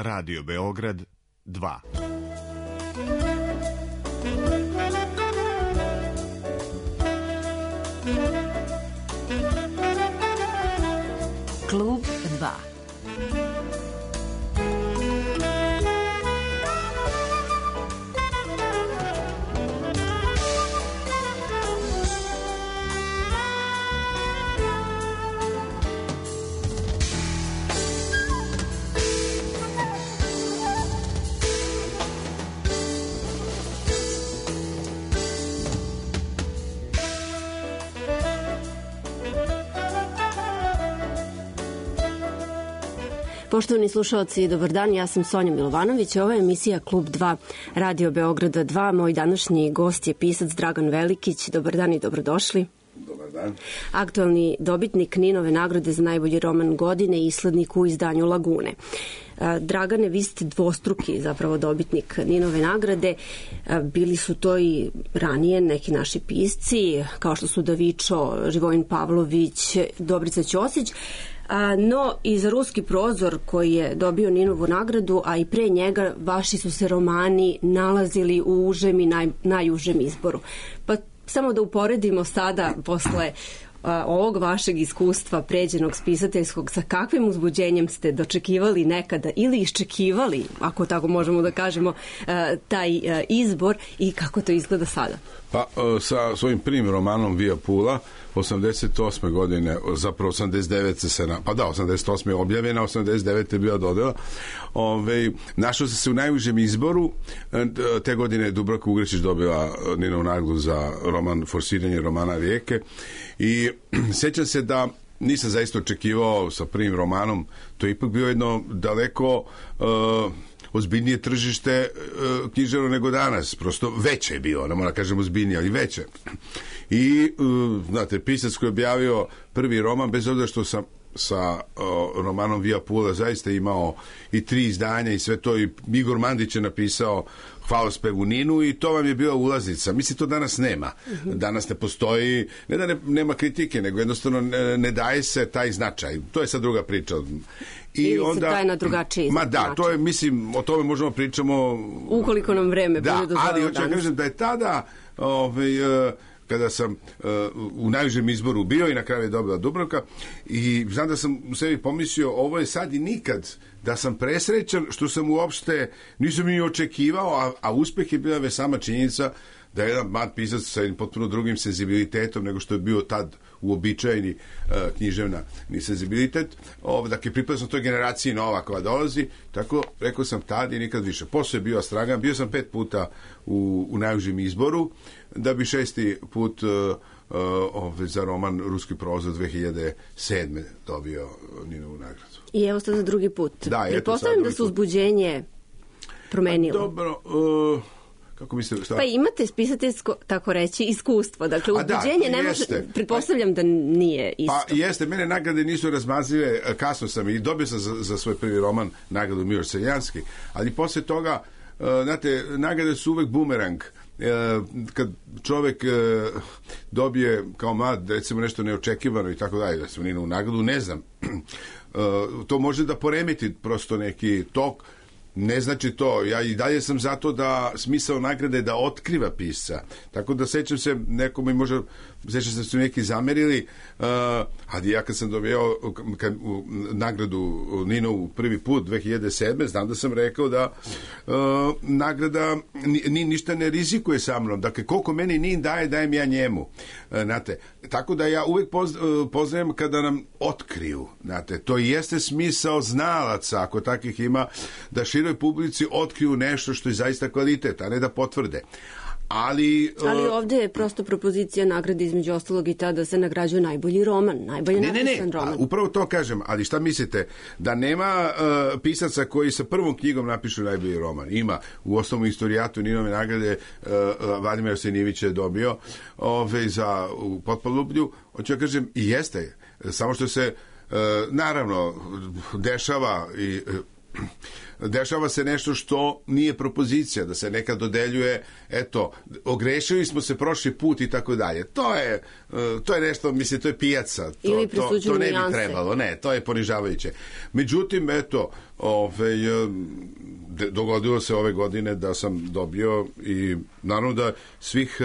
Radio Beograd 2. Klub 2. Poštovani slušalci, dobar dan, ja sam Sonja Milovanović, ovo je emisija Klub 2 Radio Beograda 2. Moj današnji gost je pisac Dragan Velikić. Dobar dan i dobrodošli. Dobar dan. Aktualni dobitnik Ninove nagrade za najbolji roman godine i islednik u izdanju Lagune. Dragane, vi ste dvostruki zapravo dobitnik Ninove nagrade. Bili su to i ranije neki naši pisci, kao što su Davičo, Živojin Pavlović, Dobrica Ćosić. No i za Ruski prozor koji je dobio Ninovu nagradu, a i pre njega vaši su se romani nalazili u užem i najužem izboru. Pa samo da uporedimo sada posle ovog vašeg iskustva pređenog spisateljskog, sa kakvim uzbuđenjem ste dočekivali nekada ili iščekivali, ako tako možemo da kažemo, taj izbor i kako to izgleda sada? Pa sa svojim prvim romanom Via Pula 88. godine, zapravo 89. se pa da, 88. je objavljena, 89. je bila dodela. Našao se u najužem izboru. Te godine je Dubravka Ugrečić dobila Ninovu nagradu za roman Forsiranje romana Rijeke i sjećam se da nisam zaista očekivao sa prvim romanom, to je ipak bio jedno daleko ozbiljnije tržište književno nego danas, prosto veće je bilo, ne moram kažem ozbiljnije, ali veće. I, znate, pisac koji je objavio prvi roman, bez obzira što sam sa romanom Via Pula zaista imao i 3 izdanja i sve to, i Igor Mandić je napisao Hvalospev u Ninu i to vam je bila ulaznica. Mislim, to danas nema. Danas ne postoji, ne da nema kritike, nego jednostavno ne daje se taj značaj. To je sad druga priča. Ili onda se daje na drugačiji način. Da, to je, mislim, o tome možemo pričamo ukoliko nam vreme bude dozvolilo. Ali hoću da kažem da je tada kada sam u najužem izboru bio i na kraju je dobila Dubravka i znam da sam u sebi pomislio ovo je sad i nikad, da sam presrećan što sam uopšte nisam ni očekivao, a uspeh je bila već sama činjenica da je jedan mlad pisac sa potpuno drugim senzibilitetom nego što je bio tad uobičajeni književna senzibilitet. Dakle, pripadao sam toj generaciji nova koja dolazi, tako rekao sam tad i nikad više. Posle je bio Astragan, bio sam 5 puta u najužem izboru, da bi 6. put za roman Ruski prozor 2007. dobio Ninovu nagradu. I evo ste za drugi put. Da, pretpostavljam da se uzbuđenje promenilo. Dobro, kako mislite, šta? Pa imate spisateljsko, tako reći, iskustvo. Dakle, uzbuđenje ne može, pretpostavljam da nije isto. Pa jeste, mene nagrade nisu razmazljive, kasno sam i dobio sam za svoj prvi roman nagradu Miloš Seljanski, ali posle toga, znate, nagrade su uvek bumerang. Kad čovek dobije kao mlad, recimo nešto neočekivano i tako dalje, da se Ninovu nagradu, ne znam, to može da poremeti prosto neki tok. Ne znači to, ja i dalje sam zato da smisao nagrade da otkriva pisca, tako da sećam se nekome, možda sećam se da su neki zamerili, ali ja kad sam dobio nagradu Ninovu prvi put 2007. znam da sam rekao da nagrada ništa ne rizikuje sa mnom, dakle koliko meni Nin daje, dajem ja njemu, znate, tako da ja uvek poznajem kada nam otkriju, znate, to jeste smisao znalaca, ako takvih ima, da široj publici otkriju nešto što je zaista kvalitet, a ne da potvrde. Ali ovdje je prosto propozicija nagrade između ostalog i ta da se nagrađuje najbolji roman, najbolje napisan roman. Upravo to kažem, ali šta mislite, da nema pisaca koji sa prvom knjigom napišu najbolji roman? Ima, u osnovnom istorijatu Ninove nagrade Vladimir Osenijević je dobio za Potpalublju, hoću ja kažem, i jeste, samo što se naravno dešava i dešava se nešto što nije propozicija, da se nekad dodeljuje, eto, ogrešili smo se prošli put i tako dalje. To je nešto, mislim, to je pijaca. To ne bi trebalo, ne, to je ponižavajuće. Međutim, eto, dogodilo se ove godine da sam dobio i naravno da svih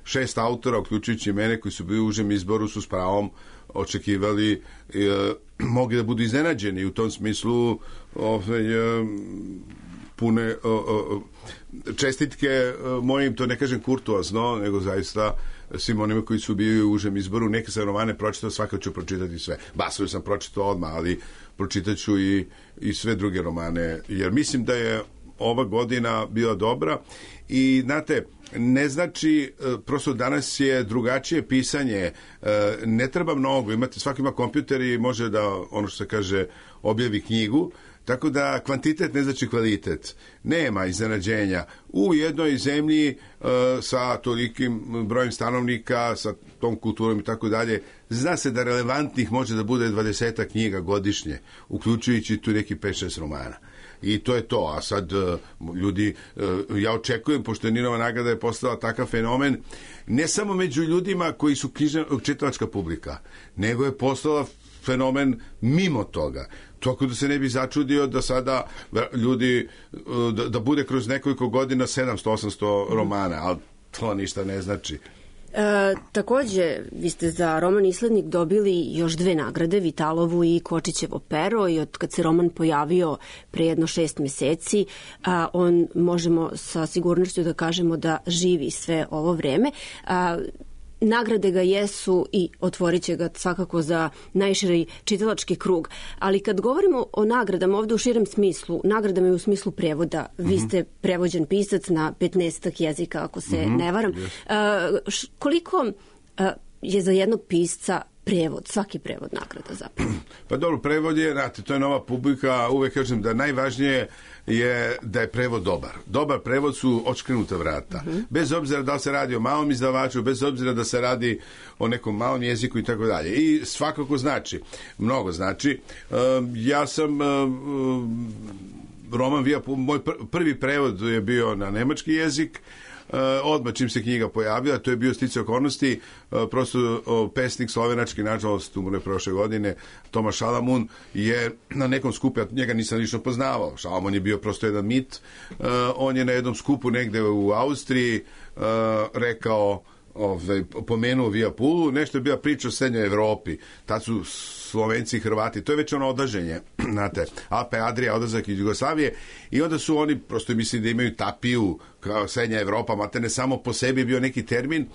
6 autora, uključujući mene, koji su bili u užem izboru, su s pravom očekivali, mogli da budu iznenađeni i u tom smislu pune čestitke mojim, to ne kažem kurtoazno, nego zaista svim onima koji su bili u užem izboru. Neke sam romane pročitao, svakako ću pročitati sve. Basovi sam pročitao odmah, ali pročitat ću i sve druge romane, jer mislim da je ova godina bila dobra i, znate, ne znači, prosto danas je drugačije pisanje, ne treba mnogo, svaki ima kompjuter i može da, ono što se kaže, objavi knjigu, tako da kvantitet ne znači kvalitet. Nema iznenađenja. U jednoj zemlji sa tolikim brojem stanovnika, sa tom kulturom i tako dalje, zna se da relevantnih može da bude 20 knjiga godišnje, uključujući tu neki 5-6 romana. I to je to, a sad ljudi, ja očekujem, pošto je Ninova nagrada je postala takav fenomen, ne samo među ljudima koji su čitalačka publika, nego je postala fenomen mimo toga. Tako da se ne bi začudio da sada ljudi, da bude kroz nekoliko godina 700-800 romana, ali to ništa ne znači. Takođe, vi ste za roman Islednik dobili još 2 nagrade, Vitalovu i Kočićevo pero, i od kad se roman pojavio pre jedno 6 meseci, on, možemo sa sigurnošću da kažemo, da živi sve ovo vreme. Nagrade ga jesu i otvorit će ga svakako za najširi čitalački krug. Ali kad govorimo o nagradama ovde u širem smislu, nagradama je u smislu prevoda. Vi ste prevođen pisac na 15 jezika, ako se ne varam. Koliko je za jednog pisca prevod, svaki prevod nagrada zapravo? Pa dobro, prevod je, znate, to je nova publika, uvek kažem da najvažnije je da je prevod dobar. Dobar prevod su odškrenuta vrata. Bez obzira da li se radi o malom izdavaču, bez obzira da se radi o nekom malom jeziku i tako dalje. I svakako znači, mnogo znači. Ja sam roman moj prvi prevod je bio na nemački jezik, odmah čim se knjiga pojavila, to je bio sticaj okolnosti, prosto pesnik slovenački, nažalost umro je prošle godine, Tomaš Šalamun, je na nekom skupu, ja njega nisam lično poznavao, Šalamun je bio prosto jedan mit, on je na jednom skupu negde u Austriji rekao, pomenuo Via Pulu, nešto je bila priča o srednjoj Evropi, tad su Slovenci i Hrvati, to je već ono odaženje, znate, Alpe Adria, odlazak iz Jugoslavije, i onda su oni, prosto mislim da imaju tapiju kao srednja Evropa, mate ne samo po sebi bio neki termin,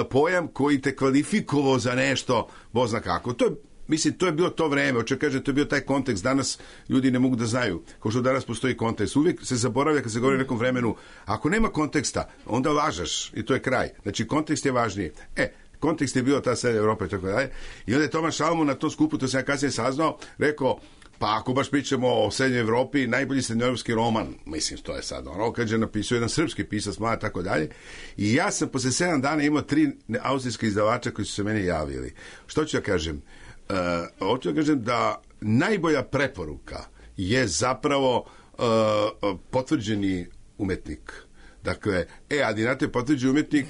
pojam koji te kvalifikovao za nešto, Bog zna kako. To je, mislim, to je bilo to vreme, hoće kažem, to je bio taj kontekst, danas ljudi ne mogu da znaju, kao što danas postoji kontekst. Uvijek se zaboravlja kad se govori o nekom vremenu, ako nema konteksta, onda lažeš i to je kraj. Znači, kontekst je važniji. Kontekst je bio ta srednja Evropa i tako dalje. I onda je Tomaš Šalamun na tom skupu, to sam ja kasnije saznao, rekao, pa ako baš pričamo o srednjoj Evropi, najbolji srednjoevropski roman, mislim, to je sad ono, kad je napisao jedan srpski pisac, mlad, tako dalje. I ja sam posle 7 dana imao 3 austrijska izdavača koji su se meni javili. Što ću ja kažem? Hoću da kažem da najbolja preporuka je zapravo potvrđeni umetnik. Dakle, ali znate, potvrđeni umetnik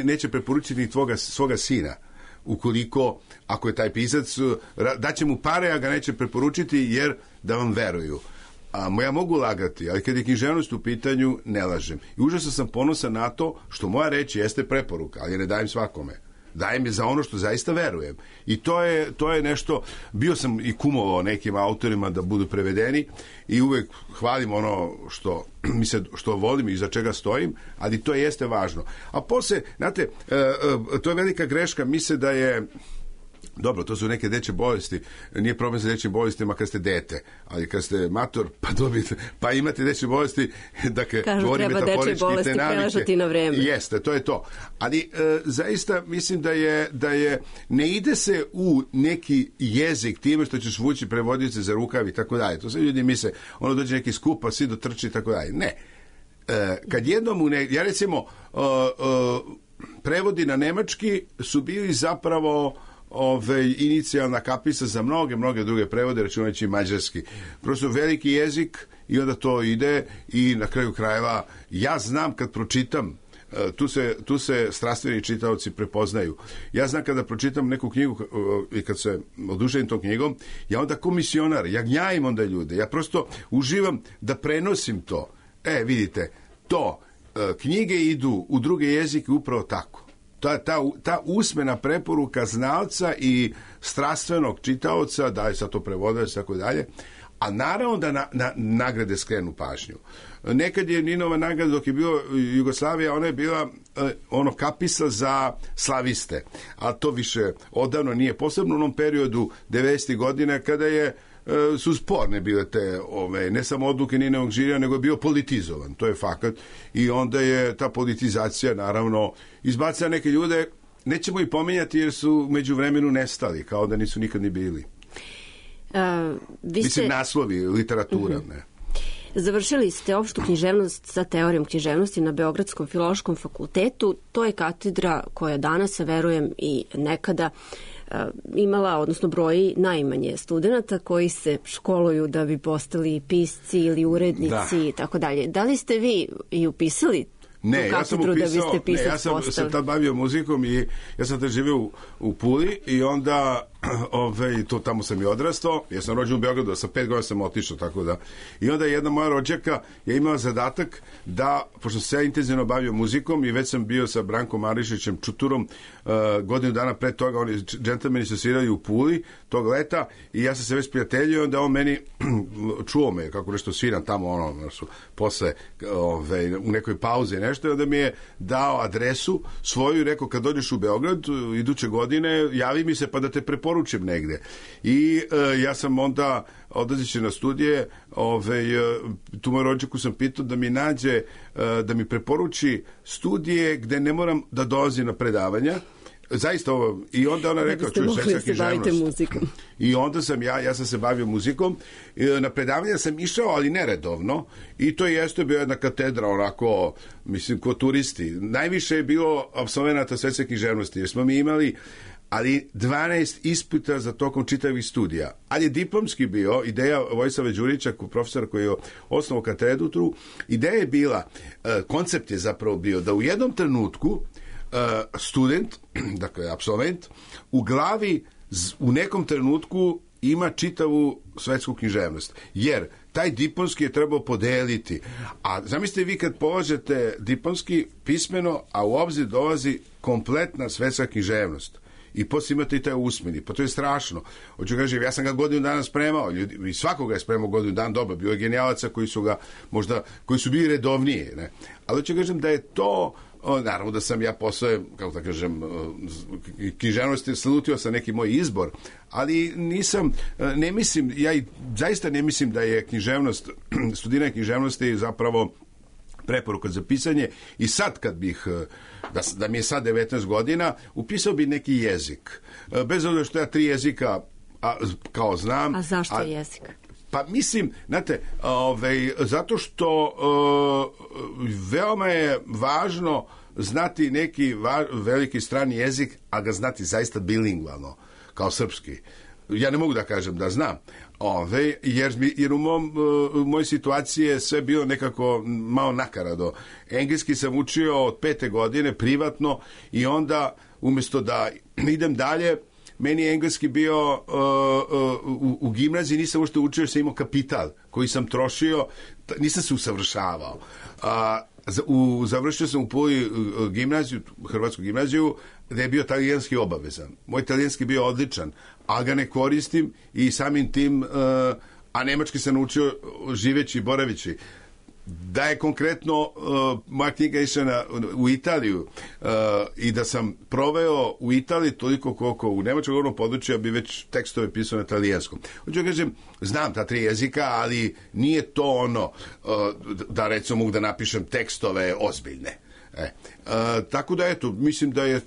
neće preporučiti ni svoga sina, ukoliko, ako je taj pisac, daće mu pare, a ga neće preporučiti, jer da vam veruju. Ja mogu lagati, ali kad je književnost u pitanju, ne lažem. I užasno sam ponosan na to što moja reč jeste preporuka, ali ne dajem svakome. Dajem je za ono što zaista verujem. I to je nešto, bio sam i kumovao nekim autorima da budu prevedeni i uvek hvalim ono što volim i za čega stojim, ali to jeste važno. A posle, znate, to je velika greška, misle da je dobro, to su neke dečje bolesti, nije problem sa dečjim bolestima kad ste dete, ali kad ste mator, pa imate dečje bolesti, dakle, govorim metaforički, te navike. Na vreme. Jeste, to je to. Ali zaista mislim da je ne ide se u neki jezik time što ćeš vući prevodioce za rukav i tako dalje. To sve ljudi misle, ono dođe neki skup, pa svi dotrči i tako dalje. Ne. Kad jednom ja recimo prevodi na nemački su bili zapravo inicijalna kapisa za mnoge druge prevode, računajući mađarski. Prosto veliki jezik i onda to ide i na kraju krajeva ja znam kad pročitam, tu se strastveni čitaoci prepoznaju. Ja znam kada pročitam neku knjigu i kad se oduševim tom knjigom, ja onda kao misionar, ja gnjavim onda ljude, ja prosto uživam da prenosim to. Vidite, knjige idu u druge jezike upravo tako. Ta usmena preporuka znalca i strastvenog čitaoca, da je sad to prevodač i tako dalje, a naravno da nagrade skrenu pažnju. Nekad je Ninova nagrada, dok je bilo Jugoslavija, ona je bila kapisa za slaviste, a to više odavno nije, posebno u onom periodu 90. godina kada su sporne bile te ne samo odluke Ninovog žirija, nego je bio politizovan, to je fakat, i onda je ta politizacija naravno izbacila neke ljude, nećemo ih pominjati jer su među vremenu nestali, kao da nisu nikad ni bili. Mislim, naslovi, literatura, ne. Završili ste opštu književnost sa teorijom književnosti na Beogradskom filološkom fakultetu. To je katedra koja danas, verujem i nekada, imala, odnosno broji najmanje studenta koji se školuju da bi postali pisci ili urednici i tako dalje. Da li ste vi i upisali Ne, ja sam se tad bavio muzikom i ja sam tad živio u Puli i onda tamo sam i odrastao, ja sam rođen u Beogradu, sa 5 godina sam otišao, tako da. I onda jedna moja rođaka je imala zadatak da, pošto sam se ja intenzivno bavio muzikom i već sam bio sa Brankom Marišićem Čuturom godinu dana pre toga, oni džentlmeni su svirali u Puli tog leta i ja sam se već prijateljio, onda on meni čuo me kako nešto sviram tamo, posle u nekoj pauzi nešto, i onda mi je dao adresu svoju i rekao, kad dođeš u Beograd iduće godine, javi mi se pa da te preporučim negde. I ja sam onda odlazeći na studije, tu moju rođaku sam pitao da mi nađe, da mi preporuči studije gde ne moram da dolazim na predavanja. Zaista ovo, i onda ona rekao, čuj, svetska književnost. I onda sam ja sam se bavio muzikom, na predavanja sam išao, ali neredovno, i to jeste bio jedna katedra, onako, mislim, ko turisti. Najviše je bilo apsolvenata svetske književnosti, jer smo mi imali ali 12 ispita za tokom čitavih studija. Ali je diplomski bio, ideja Vojislava Đurića, profesora koji je osnovao katedru, ideja je bila, koncept je zapravo bio da u jednom trenutku student, dakle absolvent, u glavi u nekom trenutku ima čitavu svetsku književnost. Jer taj diplomski je trebao podeliti. A zamislite vi kad polažete diplomski pismeno, a u obzir dolazi kompletna svetska književnost. I poslije imate i taj usmeni, pa to je strašno. Hoću kažem, ja sam ga godinu dana spremao, i svakoga je spremao godinu dana, dobro, bilo je genijalaca koji su ga možda, koji su bili redovnije, ne? Ali hoću kažem da je to, naravno da sam ja posle, kako da kažem, književnosti slutio sa neki moj izbor, ali nisam, ne mislim, ja i zaista ne mislim da je književnost, studiranje književnosti zapravo preporuka za pisanje. I sad kad bih, da mi je sad 19 godina, upisao bi neki jezik. Bez obzira što ja 3 jezika kao znam. A zašto jezik? Pa mislim, znate, zato što veoma je važno znati neki veliki strani jezik, a ga znati zaista bilingvalno, kao srpski. Ja ne mogu da kažem da znam, jer u mojoj situaciji je sve bilo nekako malo nakarado. Engleski sam učio od 5. godine privatno i onda umjesto da idem dalje, meni je engleski bio u gimnaziji, nisam uopšte učio jer sam imao kapital koji sam trošio, nisam se usavršavao. Završio sam u Puli gimnaziju, hrvatsku gimnaziju, gde je bio talijanski obavezan. Moj talijanski bio odličan, ali ga ne koristim i samim tim, a nemački sam naučio živeći i boravići. Da je konkretno moja knjiga išla u Italiju i da sam proveo u Italiji toliko koliko u nemačkom govornom području, bi već tekstove pisao na talijanskom. Hoću da kažem, znam ta 3 jezika, ali nije to ono da recimo mogu da napišem tekstove ozbiljne. Tako da eto, mislim da je,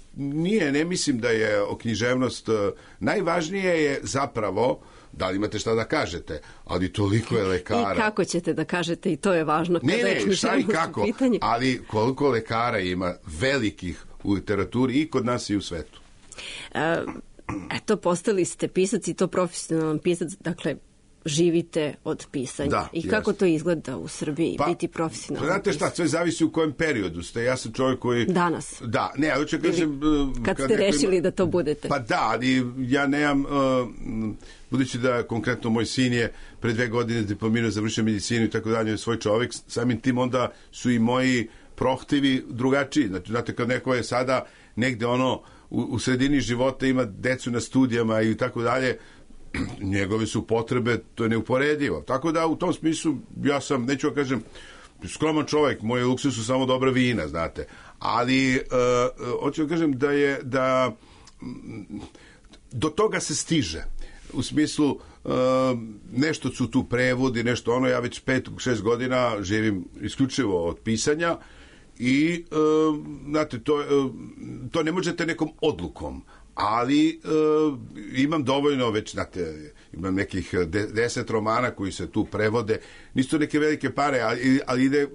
ne mislim da je književnost, najvažnije je zapravo da li imate šta da kažete, ali toliko je lekara. I kako ćete da kažete, i to je važno. Ne, šta i kako, ali koliko lekara ima velikih u literaturi i kod nas i u svetu. eto, postali ste pisac i to profesionalan pisac, dakle, živite od pisanja. Da, i kako to izgleda u Srbiji, biti profesionalan pisac? Znate šta, sve zavisi u kojem periodu ste. Ja sam čovjek koji... Danas. Da, ne, ali ću kažem... Kad ste rešili da to budete. Pa da, ali ja nemam... budući da konkretno moj sin je pre 2 godine diplomirao, završio medicinu i tako dalje, svoj čovjek, samim tim onda su i moji prohtivi drugačiji. Znači, znate, kad neko je sada negde u sredini života, ima decu na studijama i tako dalje, njegove su potrebe, to je neuporedivo. Tako da u tom smislu ja sam, neću da kažem, skroman čovjek, moje luksus su samo dobra vina, znate. Ali hoću da kažem da do toga se stiže. U smislu nešto su tu prevodi, nešto ja već 5-6 godina živim isključivo od pisanja i znate, to ne možete nekom odlukom, ali imam dovoljno već, znate, imam nekih 10 romana koji se tu prevode, nisu to neke velike pare, ali ide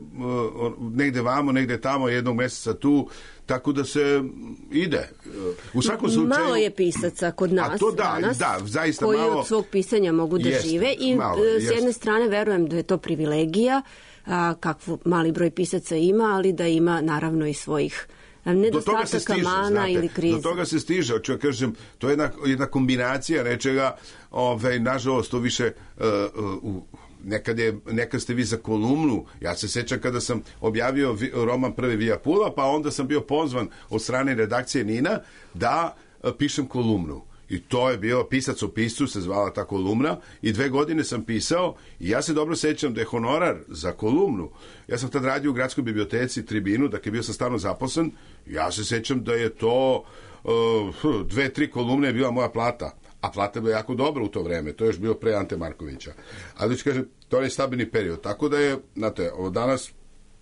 negde vamo, negde tamo, jednog meseca tu, tako da se ide. U svakom slučaju... Malo je pisaca kod nas danas, zaista koji malo, od svog pisanja mogu da žive i s jedne strane verujem da je to privilegija, kakvu mali broj pisaca ima, ali da ima naravno i svojih nedostataka, mana ili krize. Do toga se stiže, hoću ja kažem, to je jedna kombinacija nečega, nažalost, to više nekad ste vi za kolumnu, ja se sećam kada sam objavio roman Prvi Vija Pula, pa onda sam bio pozvan od strane redakcije Nina da pišem kolumnu. I to je bio Pisac o piscu, se zvala ta kolumna, i 2 godine sam pisao i ja se dobro sećam da je honorar za kolumnu. Ja sam tad radio u gradskoj biblioteci Tribinu, dakle bio sam stalno zaposlen, ja se sećam da je to 2-3 kolumne je bila moja plata, a plata je bila jako dobra u to vreme, to je još bilo pre Ante Markovića. Ali ću kažem, to je stabilni period, tako da je, znate, danas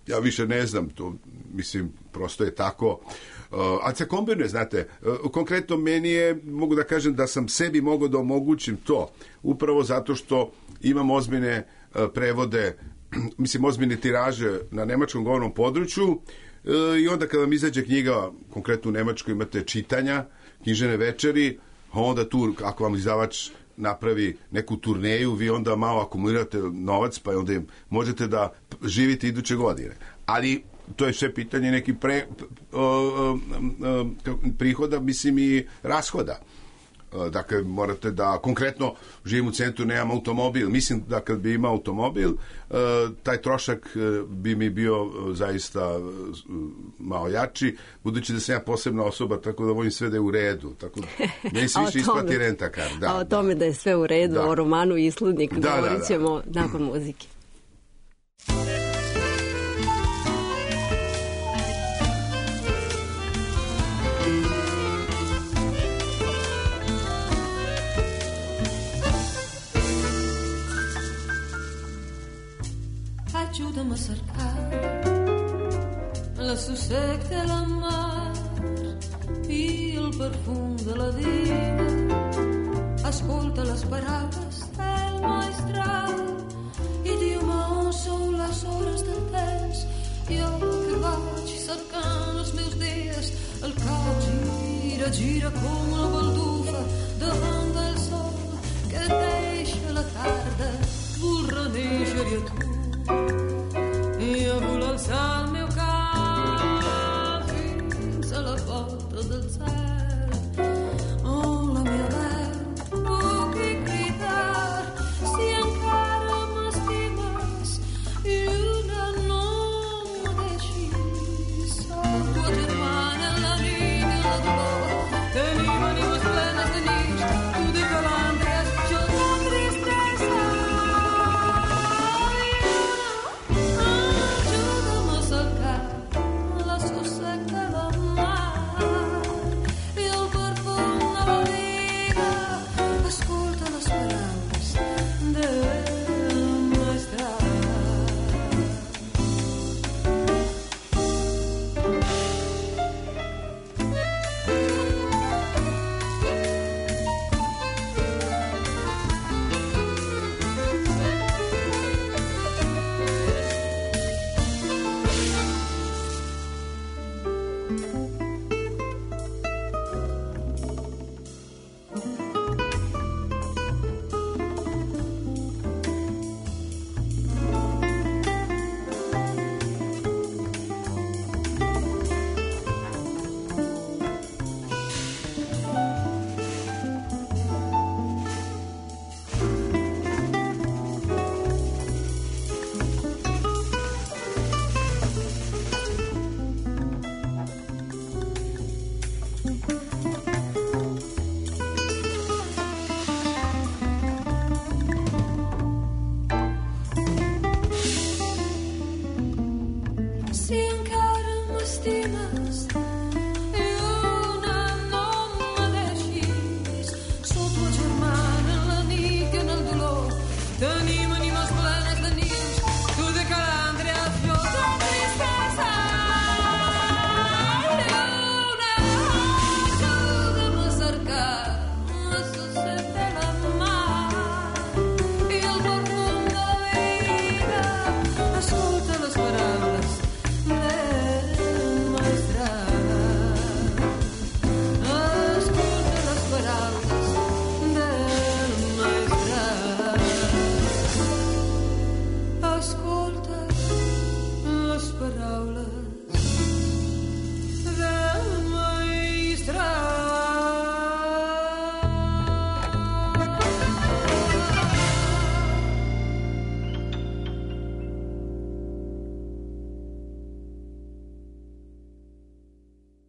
ja više ne znam, to mislim, prosto je tako. Ali se kombinuje, znate, konkretno meni je, mogu da kažem da sam sebi mogao da omogućim to, upravo zato što imam ozbiljne prevode, mislim, ozbiljne tiraže na nemačkom govornom području i onda kada vam izađe knjiga, konkretno u Nemačkoj imate čitanja, knjižene večeri, onda tu, ako vam izdavač napravi neku turneju, vi onda malo akumulirate novac, pa onda možete da živite iduće godine. Ali to je sve pitanje nekih prihoda, mislim, i rashoda. Dakle, morate da, konkretno, živim u centru, nemam automobil. Mislim da kad bi imao automobil, taj trošak bi mi bio zaista malo jači, budući da sam ja posebna osoba, tako da volim sve da je u redu. Tako da meni se više isplati rentakar. A o tome da je sve u redu, o romanu Islednik, govorit ćemo nakon muzike. Aiuta-me a cercar la sossec de la mar i el perfum de la vida. Escolta les paraules del maestral i diu-me sou les hores del temps. Jo que vaig cercant els meus dies, el cap gira, gira com la baldufa davant del sol que deixa la tarda vol renéixer-hi a tu. I jo vull alçar el meu cap fins a la porta del cel on la meva veu pugui cridar si encara m'estimes i una no me deixis. Soc tua germana, la niña, la dolor, tenim ànimes plenes de nits, tu de calandres, jo de tristesa.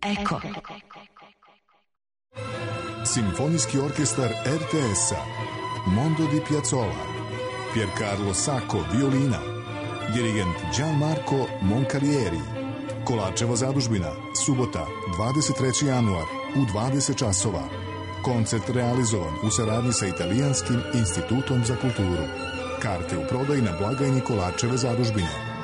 Eko. Simfonijski orkestar RTS-a, Mondo di Piazzolla, Piercarlo Sacco, violina, dirigent Gianmarco Moncalieri. Kolarčeva zadužbina, subota, 23. januar, u 20 časova. Koncert realizovan u saradnji sa Italijanskim institutom za kulturu. Karte u prodaji na blagajni Kolarčeve zadužbine.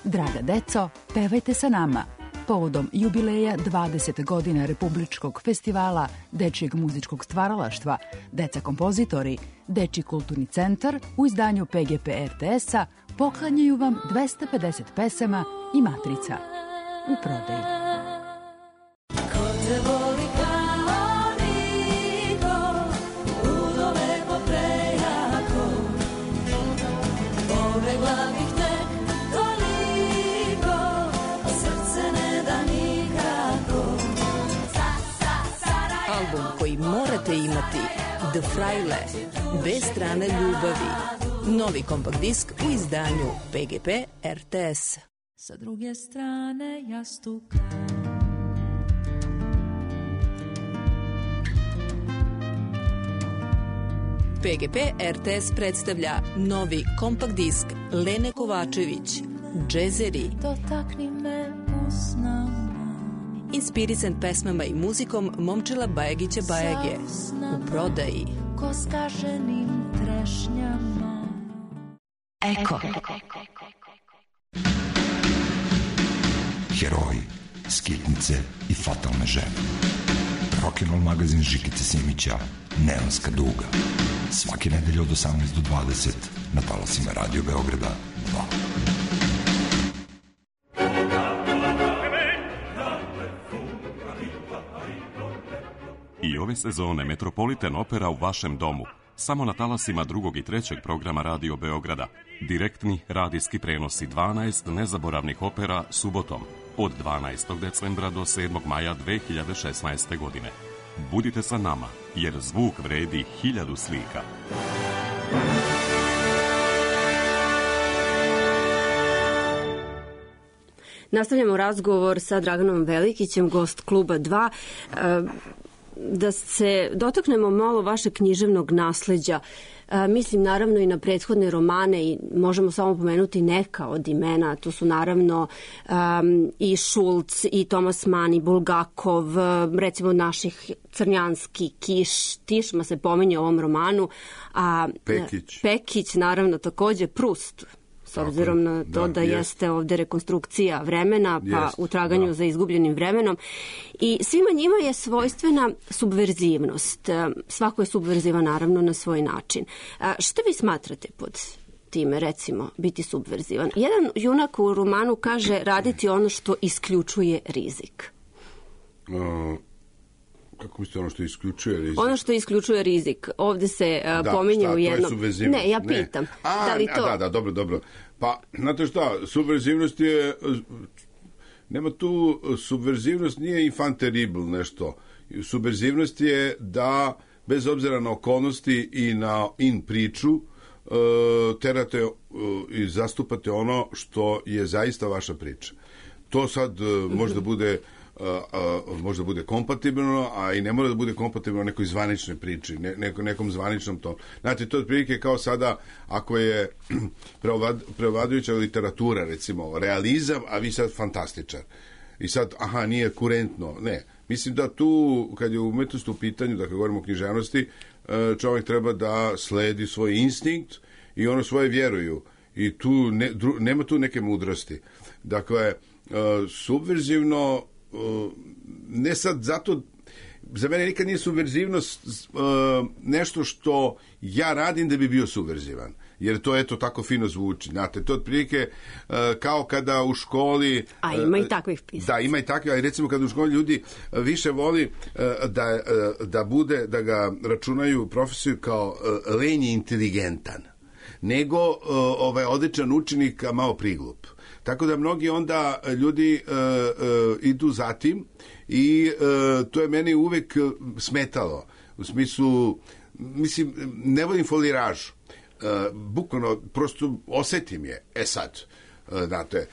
Draga deco, pevajte sa nama. Povodom jubileja 20 godina Republičkog festivala dečijeg muzičkog stvaralaštva, Deca kompozitori, Dečiji kulturni centar u izdanju PGP RTS-a poklanjaju vam 250 pesama i matrica u prodaji. Ko te voli kao niko, udove poprejako, pobegla bih tek toliko, srce ne da nikako. Album koji morate imati, The Fraile, dve strane ljubavi. Novi kompakt disk u izdanju PGP RTS. Sa druge strane jastuka. PGP RTS predstavlja novi kompakt disk Lene Kovačević, Džezeri. Dotakni me usnama. Inspirisan pesmama i muzikom Momčila Bajagića Bajage. U prodaji. Ko skaženim trešnjama. Eko. Heroji, skitnice i fatalne žene. Rock'n'roll magazin Žikice Simića, Neonska duga. Svake nedelje od 18 do 20 na talasima Radio Beograda 2. I ove sezone Metropolitan Opera u vašem domu. Samo na talasima 2. i 3. programa Radio Beograda. Direktni radijski prenosi 12 nezaboravnih opera subotom od 12. decembra do 7. maja 2016. godine. Budite sa nama, jer zvuk vredi 1000 slika. Nastavljamo razgovor sa Draganom Velikićem, gost Kluba 2. Da se dotaknemo malo vašeg književnog nasleđa. Mislim naravno i na prethodne romane i možemo samo pomenuti neka od imena. To su naravno i Šulc, i Tomas Mann, i Bulgakov, recimo naših Crnjanski, Kiš, Tišma se pominje u ovom romanu. A Pekić, naravno takođe, Prust. S obzirom na to da jeste ovde rekonstrukcija vremena, pa u traganju za izgubljenim vremenom. I svima njima je svojstvena subverzivnost. Svako je subverzivan naravno na svoj način. Šta vi smatrate pod time, recimo, biti subverzivan? Jedan junak u romanu kaže raditi ono što isključuje rizik. Kako mislite ono što isključuje rizik? Ono što isključuje rizik. Ovde se pominje u jednom... Ne, ja pitam. Da li to... Da, dobro. Pa, znate šta, subverzivnost je... Nema tu... Subverzivnost nije infant terrible nešto. Subverzivnost je da, bez obzira na okolnosti i na priču, terate i zastupate ono što je zaista vaša priča. To sad možda bude kompatibilno, a i ne mora da bude kompatibilno nekoj zvaničnoj priči, nekom zvaničnom tom. Znate, to je otprilike kao sada, ako je prevladujuća literatura, recimo, realizam, a vi sad fantastičar. I sad, nije kurentno. Ne. Mislim da tu, kad je umetnost u pitanju, da kad govorimo o književnosti, čovjek treba da sledi svoj instinkt i ono svoje vjeruju. I tu nema tu neke mudrosti. Dakle, subverzivno ne sad zato, za mene nikad nije subverzivnost nešto što ja radim da bi bio subverzivan, jer to eto tako fino zvuči, znate, to je otprilike kao kada u školi... A ima i takvih pisaca. Da, ima i takvih, ali recimo kada u školi ljudi više voli da ga računaju profesiju kao lenji inteligentan, nego odličan učenik, a malo priglup. Tako da mnogi onda ljudi idu za tim i to je meni uvek smetalo. U smislu, ne volim foliražu. Bukvalno, prosto osetim je. Sad, znate,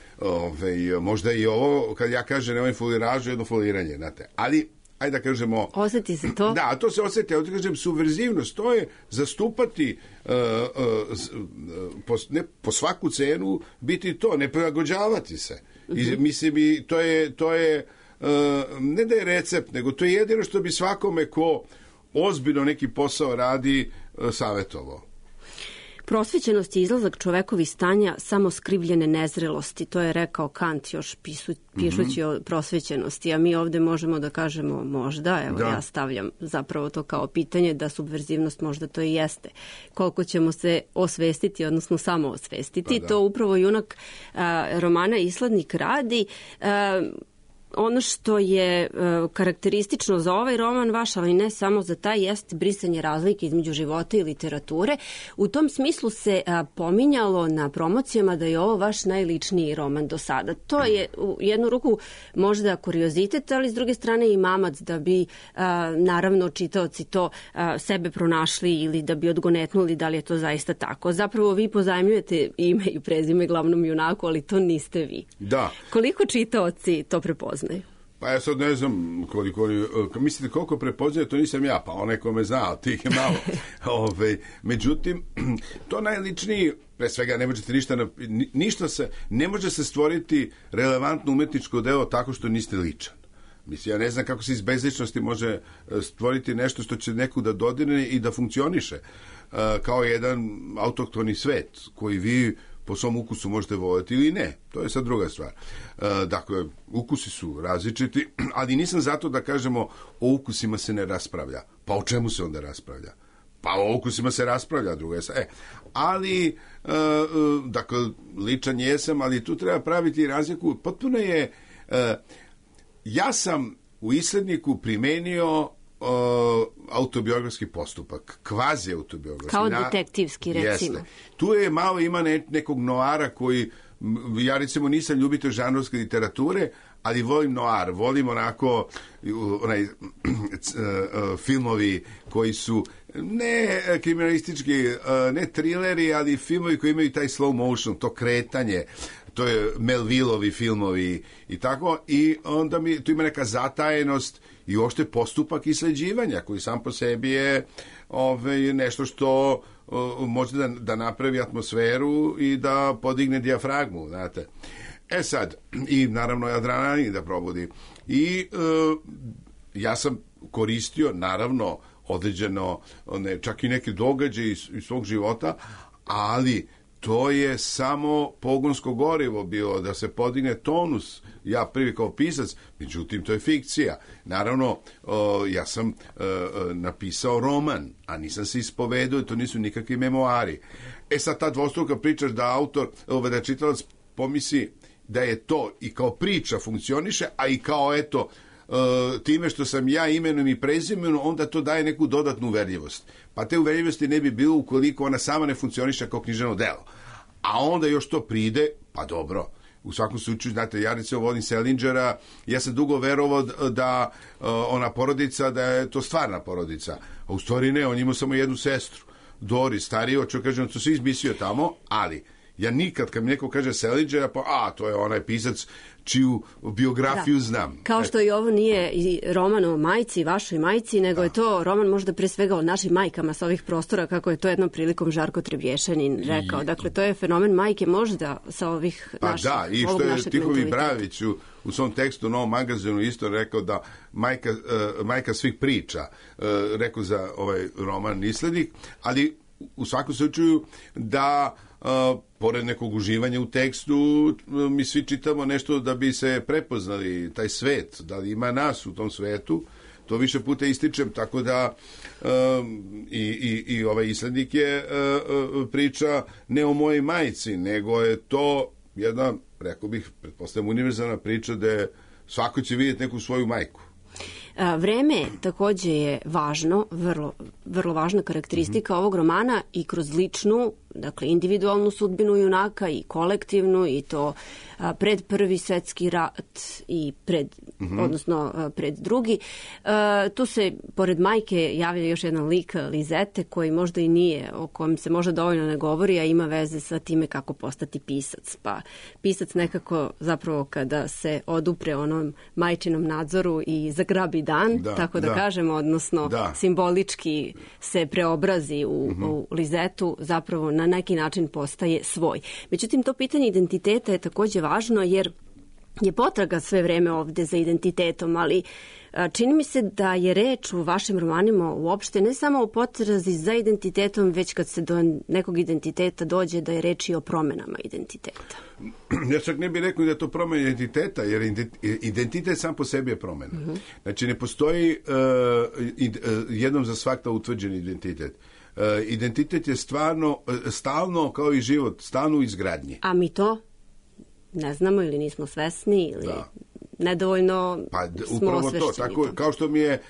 možda i ovo, kad ja kažem nemoj foliražu, jedno foliranje, znate, ali ajde da kažemo... Osjeti se to? Da, to se osjeti, ali da kažem, subverzivnost, to je zastupati ne po svaku cenu biti to, ne prilagođavati se. I, mislim, to je ne da je recept, nego to je jedino što bi svakome ko ozbiljno neki posao radi savjetovao. Prosvećenost je izlazak čovekovih stanja samo skrivljene nezrelosti, to je rekao Kant još pišući o prosvećenosti, a mi ovde možemo da kažemo možda, evo ja stavljam zapravo to kao pitanje da subverzivnost možda to i jeste. Koliko ćemo se osvestiti, odnosno samo osvestiti, to upravo junak romana Isladnik radi. Ono što je karakteristično za ovaj roman vaš, ali ne samo za taj, jeste brisanje razlike između života i literature. U tom smislu se pominjalo na promocijama da je ovo vaš najličniji roman do sada. To je u jednu ruku možda kuriozitet, ali s druge strane i mamac da bi naravno čitaoci to sebe pronašli ili da bi odgonetnuli da li je to zaista tako. Zapravo vi pozajmljujete ime i prezime glavnom junaku, ali to niste vi. Da. Koliko čitaoci to prepoznaju? Pa ja sad ne znam mislite koliko prepoznaje, to nisam ja, pa onaj ko me zna, tih je malo. Međutim, to najličniji, pre svega ne možete ništa ne može se stvoriti relevantno umetničko delo tako što niste ličan. Mislim, ja ne znam kako se iz bezličnosti može stvoriti nešto što će neku da dodirne i da funkcioniše kao jedan autohtoni svet koji vi po svom ukusu možete voljeti ili ne. To je sad druga stvar. Dakle, ukusi su različiti, ali nisam zato da kažemo o ukusima se ne raspravlja. Pa o čemu se onda raspravlja? Pa o ukusima se raspravlja, druga je sad. Ali, dakle, ličan jesam, ali tu treba praviti razliku. Potpuno je... Ja sam u Isledniku primenio autobiografski postupak, kvazi autobiografski. Kao detektivski, recimo. Jeste. Tu je malo ima nekog noara koji, ja recimo nisam ljubitelj žanrovske literature, ali volim noir, volim onako filmovi koji su ne kriminalistički, ne trileri, ali filmovi koji imaju taj slow motion, to kretanje, to je Melvilleovi filmovi i tako, i onda tu ima neka zatajenost i uopšte postupak isleđivanja koji sam po sebi je nešto što može da napravi atmosferu i da podigne dijafragmu, znate. Sad, i naravno adrenalin da probudi. I ja sam koristio, naravno, određeno, čak i neke događaje iz svog života, ali to je samo pogonsko gorivo bilo da se podigne tonus, ja prvi kao pisac, međutim to je fikcija. Naravno, ja sam napisao roman, a nisam se ispovedao, to nisu nikakvi memoari. Sad ta dvostruka priča da autor, da čitalac pomisli da je to i kao priča funkcioniše, a i kao eto, time što sam ja imenom i prezimenom, onda to daje neku dodatnu uverljivost. Pa te uverljivosti ne bi bilo ukoliko ona sama ne funkcioniše kao književno delo. A onda još to pride, pa dobro. U svakom slučaju, znate, ja recimo volim Selingera, ja sam dugo verovao da ona porodica, da je to stvarna porodica. A u stvari ne, on imao samo jednu sestru, Doris, stariju, čo kažem, to se izmislio tamo, ali ja nikad, kad mi neko kaže Selingera, pa to je onaj pisac čiju biografiju znam. Kao što i ovo nije i roman o majci, vašoj majci, nego je to roman možda pre svega o našim majkama sa ovih prostora, kako je to jednom prilikom Žarko Trebješanin rekao. Dakle, to je fenomen majke možda sa ovih naših, da, i što je Tihovi Bravić u svom tekstu u Novom magazinu isto rekao da majka svih priča, rekao za ovaj roman Islednik, ali u svakom slučaju da pored nekog uživanja u tekstu, mi svi čitamo nešto da bi se prepoznali taj svet, da li ima nas u tom svetu, to više puta ističem, tako da i ovaj Islednik je priča ne o mojej majci, nego je to jedna, rekao bih, pretpostavljam, univerzalna priča da svako će vidjeti neku svoju majku. Vreme takođe je važno, vrlo važna karakteristika ovog romana i kroz ličnu dakle, individualnu sudbinu junaka i kolektivnu, i to pred Prvi svetski rat i odnosno pred drugi. Tu se, pored majke, javlja još jedan lik, Lizete, koji možda i nije, o kojem se možda dovoljno ne govori, a ima veze sa time kako postati pisac. Pa pisac nekako zapravo kada se odupre onom majčinom nadzoru i zagrabi dan, tako da kažemo, odnosno simbolički se preobrazi u Lizetu, zapravo na neki način postaje svoj. Međutim, to pitanje identiteta je takođe važno, jer je potraga sve vreme ovde za identitetom, ali čini mi se da je reč u vašim romanima uopšte ne samo o potrazi za identitetom, već kad se do nekog identiteta dođe da je reč i o promenama identiteta. Ja čak ne bih rekao da je to promena identiteta, jer identitet sam po sebi je promena. Znači, ne postoji jednom za svakta utvrđen identitet. Identitet je stalno, kao i život, stalno u izgradnji. A mi to ne znamo ili nismo svesni ili nedovoljno smo osvešćeni. Tako, kao što mi je,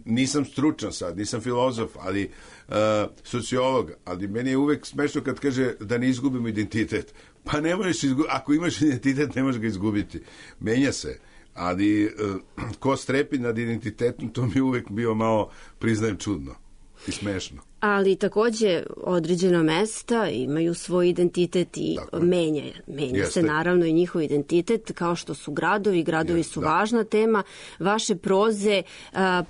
nisam stručan sad, nisam filozof, ali sociolog, ali meni je uvek smešno kad kaže da ne izgubimo identitet. Pa ne možeš izgubiti, ako imaš identitet ne možeš ga izgubiti. Menja se. Ali ko strepi nad identitetom, to mi je uvek bio malo, priznajem, čudno i smešno. Ali takođe određena mesta imaju svoj identitet i menja se naravno i njihov identitet, kao što su gradovi. Gradovi su važna tema vaše proze,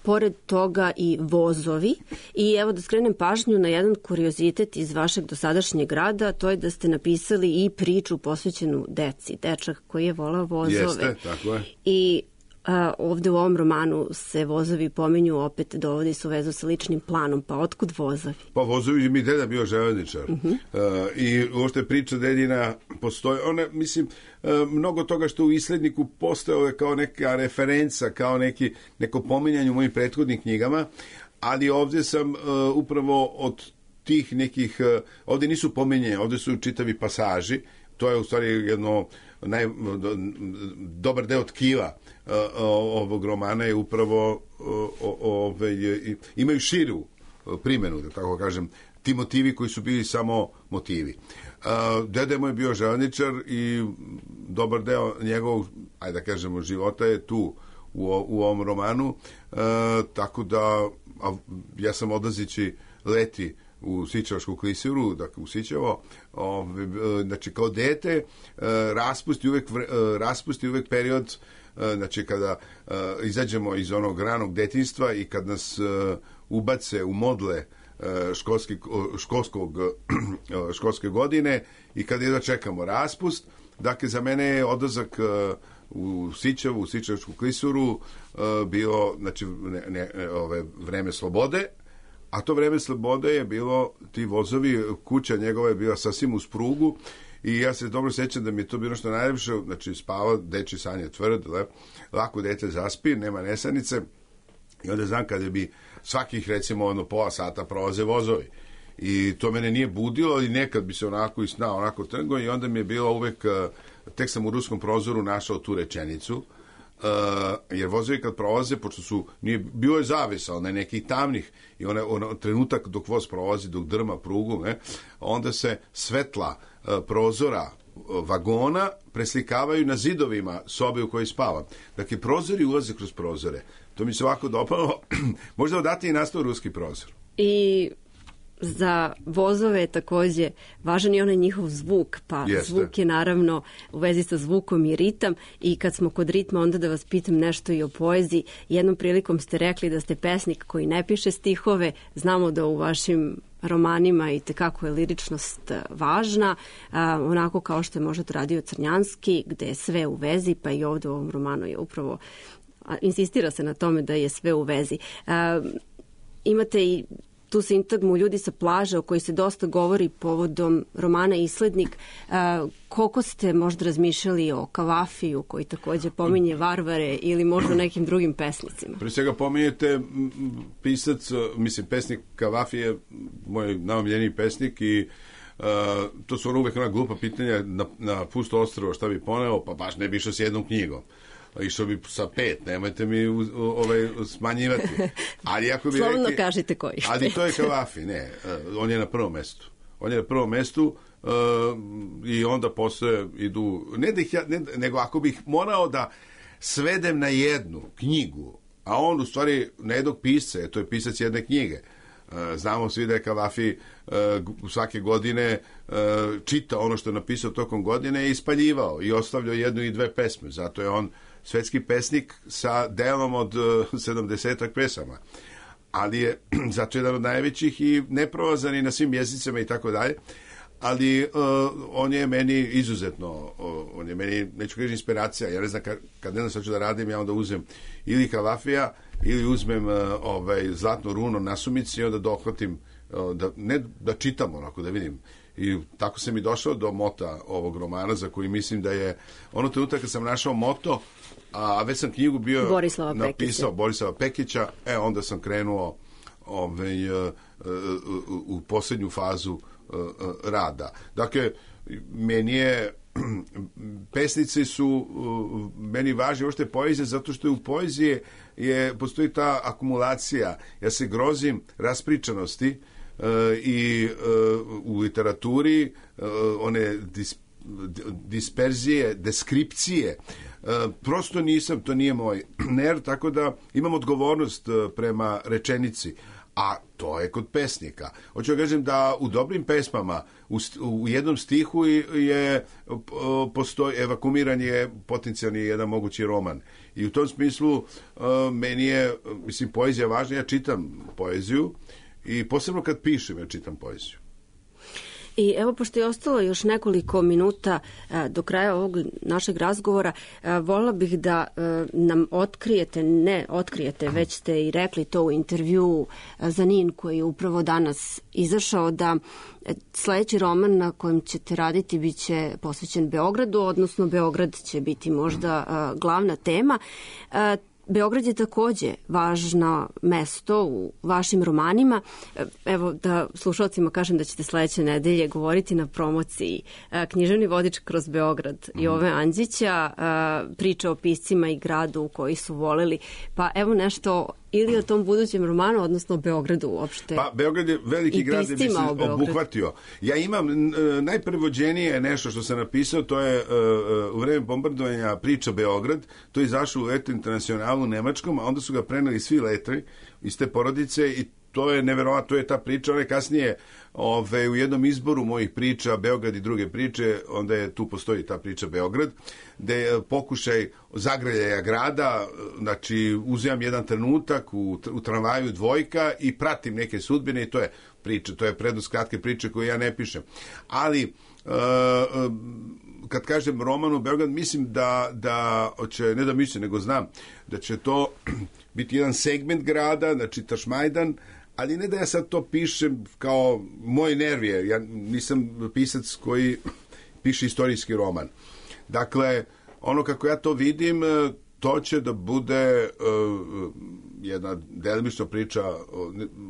pored toga i vozovi. I evo da skrenem pažnju na jedan kuriozitet iz vašeg dosadašnjeg rada, to je da ste napisali i priču posvećenu deci, dečak koji je volao vozove. Jeste, tako je. I ovde u ovom romanu se vozovi pominju, opet dovodi se u vezu sa ličnim planom. Pa otkud vozovi? Pa vozovi, mi deda bio železničar. I uopšte priča dedina postoji. Mislim, mnogo toga što u Isledniku postojao je kao neka referenca, kao neko pominjanje u mojim prethodnim knjigama, ali ovde sam upravo od tih nekih, ovde nisu pominjene, ovde su čitavi pasaži. To je u stvari jedno dobar deo tkiva ovog romana je upravo imaju širu primenu, da tako kažem, ti motivi koji su bili samo motivi. Dede moj je bio železničar i dobar deo njegovog, ajde da kažemo, života je tu u ovom romanu, tako da ja sam odlazići leti u Sićevačku klisuru, dakle u Sićevo, znači kao dete raspusti uvek period, znači kada izađemo iz onog ranog detinjstva i kad nas ubace u modle školske godine i kad jedva čekamo raspust, dakle za mene je odlazak u Sićevu, u Sićevačku klisuru bilo, znači, vreme slobode. A to vreme slobode je bilo, ti vozovi, kuća njegova je bila sasvim uz prugu i ja se dobro sećam da mi je to bilo što najljepše, znači spava, dečji san je tvrd, lako dete zaspi, nema nesanice i onda znam kada bi svakih recimo pola sata prolaze vozovi. I to mene nije budilo, ali nekad bi se onako i snao, onako trgo i onda mi je bilo uvek, tek sam u Ruskom prozoru našao tu rečenicu, jer vozovi kad prolaze, pošto bio je zavisa, onaj nekih tamnih i trenutak dok voz prolazi, dok drma prugu, onda se svetla prozora vagona preslikavaju na zidovima sobe u kojoj spavam. Dakle, prozori ulaze kroz prozore. To mi se ovako dopalo. Možda odatle i nastao Ruski prozor. I za vozove je takođe važan i onaj njihov zvuk, pa zvuk je naravno u vezi sa zvukom i ritam. I kad smo kod ritma, onda da vas pitam nešto i o poeziji. Jednom prilikom ste rekli da ste pesnik koji ne piše stihove. Znamo da u vašim romanima i tekako je liričnost važna, onako kao što je možda to radio Crnjanski, gde je sve u vezi, pa i ovde u ovom romanu je upravo, insistira se na tome da je sve u vezi. Imate i tu sintagmu Ljudi sa plaže, o kojoj se dosta govori povodom romana Islednik. Koliko ste možda razmišljali o Kavafiju, koji takođe pominje varvare, ili možda nekim drugim pesnicima? Pre svega pominjete pesnik Kavafi je moj najomiljeniji pesnik i to su uvek ona glupa pitanja na pusto ostrvo šta bi poneo, pa baš ne bi išao s jednom knjigom. išao bi sa 5, nemojte mi smanjivati. Ali ako bi Slovno kažite koji. Ali to je Kavafi, ne, on je na prvom mestu. On je na prvom mestu i onda posle idu, nego ako bih morao da svedem na jednu knjigu, a on u stvari na jednog pisca, to je pisac jedne knjige. Znamo svi da je Kavafi svake godine čita ono što je napisao tokom godine i ispaljivao i ostavljao 1 i 2 pesme. Zato je on svetski pesnik sa delom od 70 pesama. Ali je zato jedan od najvećih i neprolazan i na svim jezicama i tako dalje. Ali on je meni izuzetno, on je meni, neću kažem, inspiracija. Ja ne znam, kad ne znam šta ću da radim, ja onda uzmem ili Kavafija ili uzmem Zlatno runo nasumici i onda dohvatim, da čitam onako, da vidim. I tako sam i došao do mota ovog romana, za koji mislim da je ono trenutak kad sam našao moto, a već sam knjigu bio napisao Borislava Pekića, onda sam krenuo u posljednju fazu rada. Dakle, meni je pesnice su meni važne uopšte poezije, zato što je u poeziji postoji ta akumulacija. Ja se grozim raspričanosti i u literaturi one disperzije, deskripcije. Prosto nisam, to nije moj ner, tako da imam odgovornost prema rečenici. A to je kod pesnika. Hoću da kažem da u dobrim pesmama u jednom stihu postoji evakumiran je potencijalni jedan mogući roman. I u tom smislu meni je, poezija važna. Ja čitam poeziju i posebno kad pišem ja čitam poeziju. I evo, pošto je ostalo još nekoliko minuta do kraja ovog našeg razgovora, voljela bih da nam otkrijete, već ste i rekli to u intervjuu za NIN koji je upravo danas izašao, da sledeći roman na kojem ćete raditi biće posvećen Beogradu, odnosno Beograd će biti možda glavna tema. Beograd je takođe važno mesto u vašim romanima. Evo, da slušalcima kažem da ćete sledeće nedelje govoriti na promociji Književni vodič kroz Beograd Jove Andžića, priča o piscima i gradu koji su voleli. Pa evo nešto ili o tom budućem romanu, odnosno Beogradu uopšte. Pa Beograd je veliki grad da bi se obuhvatio. Ja imam najprevođenije nešto što sam napisao, to je u vreme bombardovanja priča Beograd, to je izašlo u Letru Internacionalu u Nemačkom, a onda su ga preneli svi letri iz te porodice i to je neverovatno, to je ta priča. Ona je kasnije u jednom izboru mojih priča Beograd i druge priče, onda je tu postoji ta priča Beograd, gde je pokušaj zagrljaja grada, znači uzimam jedan trenutak u tramvaju dvojka i pratim neke sudbine i to je priča, to je prednost kratke priče koju ja ne pišem. Ali kad kažem roman u Beograd, mislim da će, ne da mislim, nego znam da će to biti jedan segment grada, znači Tašmajdan, ali ne da ja sad to pišem kao moj nerv je. Ja nisam pisac koji piše istorijski roman. Dakle, ono kako ja to vidim, to će da bude jedna delimična priča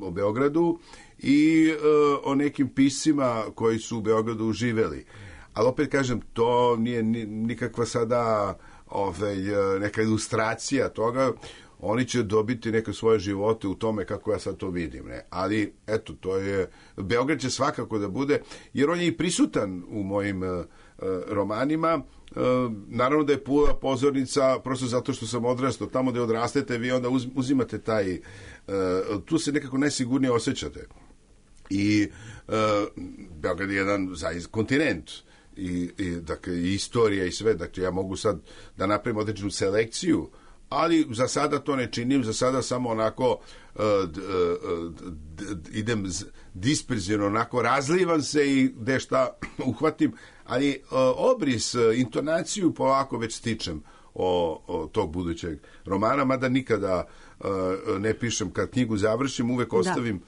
o Beogradu i o nekim piscima koji su u Beogradu živeli. Ali opet kažem, to nije nikakva sada neka ilustracija toga. Oni će dobiti neke svoje živote u tome kako ja sad to vidim. Ne? Ali, eto, to je... Beograd će svakako da bude, jer on je i prisutan u mojim romanima. Naravno da je Pula pozornica, prosto zato što sam odrastao. Tamo gde odrastete, vi onda uzimate taj... tu se nekako najsigurnije osjećate. I Beograd je jedan zaista kontinent. Dakle, i istorija i sve. Dakle, ja mogu sad da napravim određenu selekciju, ali za sada to ne činim, za sada samo onako idem disperzivno, onako razlivam se i gde šta uhvatim, ali obris, intonaciju polako već stičem o tog budućeg romana, mada nikada ne pišem, kad knjigu završim, uvek ostavim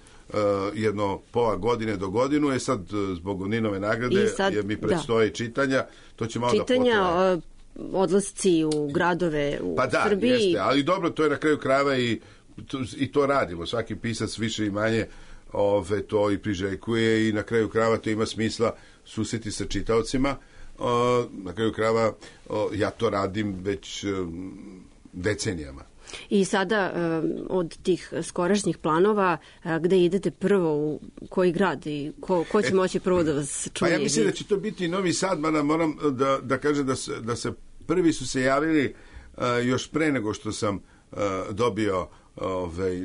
jedno pola godine do godinu, sad zbog Ninove nagrade jer mi predstoje čitanja, to će malo da potraje. Odlasci u gradove u Srbiji. Pa da, jeste, ali dobro, to je na kraju krajeva i to radimo. Svaki pisac više i manje to i priželjkuje i na kraju krajeva to ima smisla susreti sa čitaocima. na kraju krajeva ja to radim već decenijama. I sada od tih skorašnjih planova, gde idete prvo, u koji grad i ko će moći prvo da vas čuje? Pa ja mislim da će to biti Novi Sad, mada moram da kažem da se prvi su se javili još pre nego što sam dobio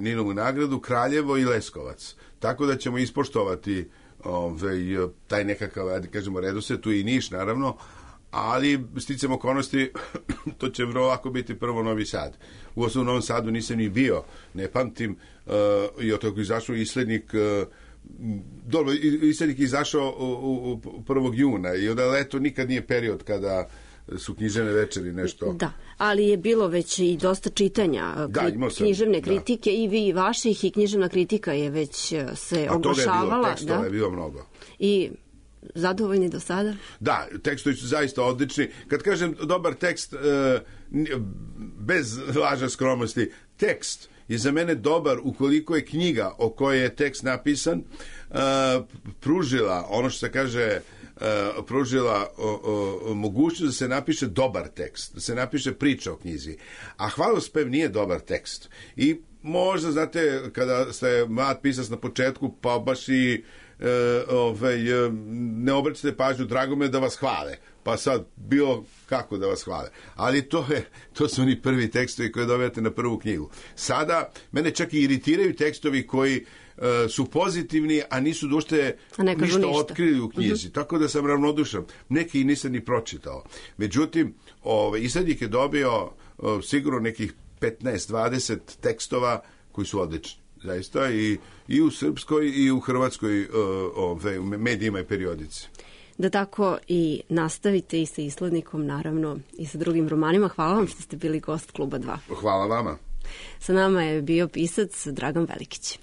Ninovu nagradu, Kraljevo i Leskovac. Tako da ćemo ispoštovati taj nekakav, da kažemo, redosled, tu i Niš, naravno, ali sticam okolnosti, to će vrlo lako biti prvo Novi Sad. U osnovu Novom Sadu nisam ni bio, ne pamtim, i od toga izašao Islednik, dobro, Islednik je izašao u 1. juna i onda leto nikad nije period kada su književne večeri nešto. Da, ali je bilo već i dosta čitanja književne kritike i vi vaših i književna kritika je već se oglašavala. A tekstova je bilo mnogo. I zadovoljni do sada? Da, tekstovi su zaista odlični. Kad kažem dobar tekst, bez laža skromnosti, tekst je za mene dobar ukoliko je knjiga o kojoj je tekst napisan pružila, ono što se kaže, pružila mogućnost da se napiše dobar tekst, da se napiše priča o knjizi. A Hvalospev nije dobar tekst. I možda, znate, kada ste mlad pisac na početku, pa baš i ne obraćate pažnju, drago me da vas hvale, pa sad bilo kako da vas hvale, ali to su oni prvi tekstovi koje dobijate na prvu knjigu. Sada mene čak i iritiraju tekstovi koji su pozitivni, a nisu dušte ništa otkrili u knjizi, tako da sam ravnodušan. Neki nisam ni pročitao. Međutim, Islednik je dobio sigurno nekih 15-20 tekstova koji su odlični. Zaista i u srpskoj i u hrvatskoj medijima i periodici. Da tako i nastavite i sa Islednikom, naravno, i sa drugim romanima. Hvala vam što ste bili gost Kluba 2. Hvala vama. Sa nama je bio pisac Dragan Velikić.